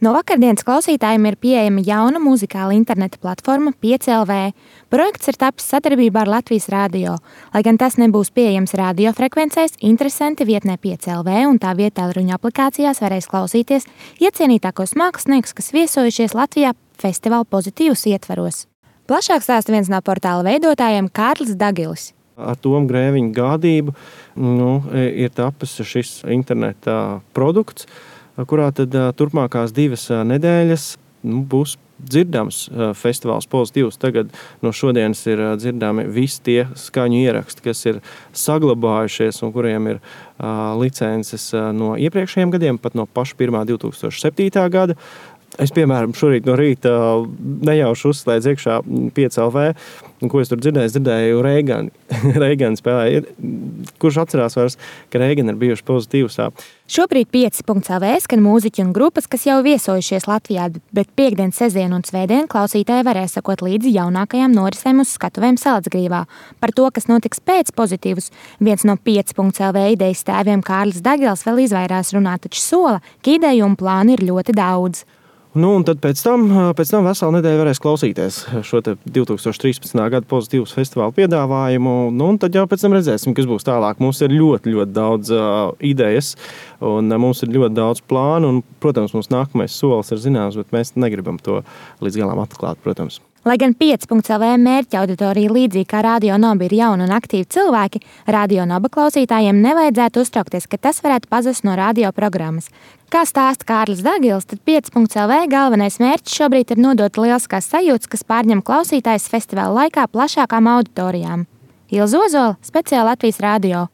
No vakardienas klausītājiem ir pieejama jauna muzikāla interneta platforma 5LV. Projekts ir tapis sadarbībā ar Latvijas Rādio. Lai gan tas nebūs pieejams radiofrekvencēs, interesanti vietnē 5LV un tā vietā ruņu aplikācijās varēs klausīties iecienītākos māksliniekus, kas viesojušies Latvijā festivāla pozitīvus ietvaros. Plašāk stāsta viens no portāla veidotājiem Kārlis Dagilis. Ar Tomu Grēviņu gādību ir tapis šis interneta produkts, kurā tad turpmākās 2 nedēļas būs dzirdams festivāls pozitīvs. Tagad no šodienas ir dzirdami visi tie skaņu ieraksti, kas ir saglabājušies un kuriem ir licences no iepriekšējiem gadiem, pat no paša 2007. gada. Es, piemēram, šorīt no rīta nejauši uzslēdzu iekšā 5LV, un ko es tur dzirdēju? Es dzirdēju Reigani. Reigani spēlēja. Kurš atcerās vairs, ka Reigani ir bijuši pozitīvsā? Šobrīd 5.LV skan mūziķi un grupas, kas jau viesojušies Latvijā, bet piekdien, sestdien un svētdien klausītāji varēs sekot līdzi jaunākajām norisēm uz skatuvēm Salacgrīvā. Par to, kas notiks pēc pozitīvus, viens no 5.LV idejas tēviem Kārlis Dagils vēl izvairās runāt, taču sola, ka ideju un plānu ir ļoti daudz. Un tad pēc tam veselu nedēļu varēs klausīties šo 2013. gada pozitīvas festivāla piedāvājumu. Un tad jau pēc tam redzēsim, kas būs tālāk. Mums ir ļoti daudz idejas un mums ir ļoti daudz plānu. Un, protams, mums nākamais solis ir zināms, bet mēs negribam to līdz galam atklāt, protams. Lai gan 5.LV mērķa auditorija līdzīgi kā Radio Nova ir jauni un aktīvi cilvēki, Radio Nova klausītājiem nevajadzētu uztraukties, ka tas varētu pazust no radio programmas. Kā stāsta Kārlis Dagils, tad 5.LV galvenais mērķis šobrīd ir nodot lieliskās sajūtas, kas pārņem klausītājus festivāla laikā plašākām auditorijām. Ilza Ozola, speciāli Latvijas Rādio.